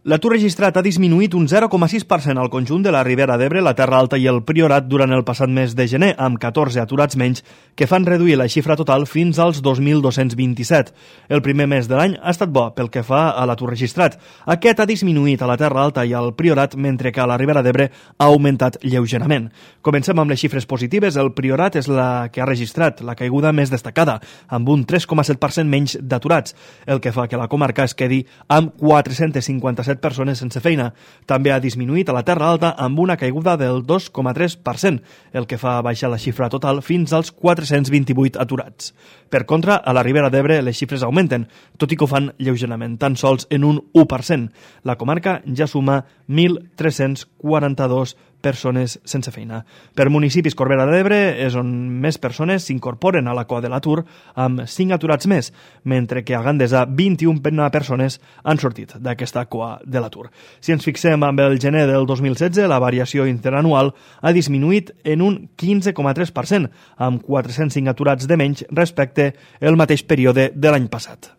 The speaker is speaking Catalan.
L'atur registrat ha disminuït un 0,6% al conjunt de la Ribera d'Ebre, la Terra Alta i el Priorat durant el passat mes de gener, amb 14 aturats menys, que fan reduir la xifra total fins als 2.227. El primer mes de l'any ha estat bo pel que fa a l'atur registrat. Aquest ha disminuït a la Terra Alta i al Priorat, mentre que a la Ribera d'Ebre ha augmentat lleugerament. Comencem amb les xifres positives. El Priorat és la que ha registrat la caiguda més destacada, amb un 3,7% menys d'aturats, el que fa que la comarca es quedi amb 457 persones sense feina. També ha disminuït a la Terra Alta amb una caiguda del 2,3%, el que fa baixar la xifra total fins als 428 aturats. Per contra, a la Ribera d'Ebre les xifres augmenten, tot i que ho fan lleugerament, tan sols en un 1%. La comarca ja suma 1.342 persones sense feina. Per municipis, Corbera d'Ebre és on més persones s'incorporen a la cua de l'atur, amb 5 aturats més, mentre que a Gandesa 21 persones han sortit d'aquesta cua de l'atur. Si ens fixem amb el gener del 2016, la variació interanual ha disminuït en un 15,3%, amb 405 aturats de menys respecte al mateix període de l'any passat.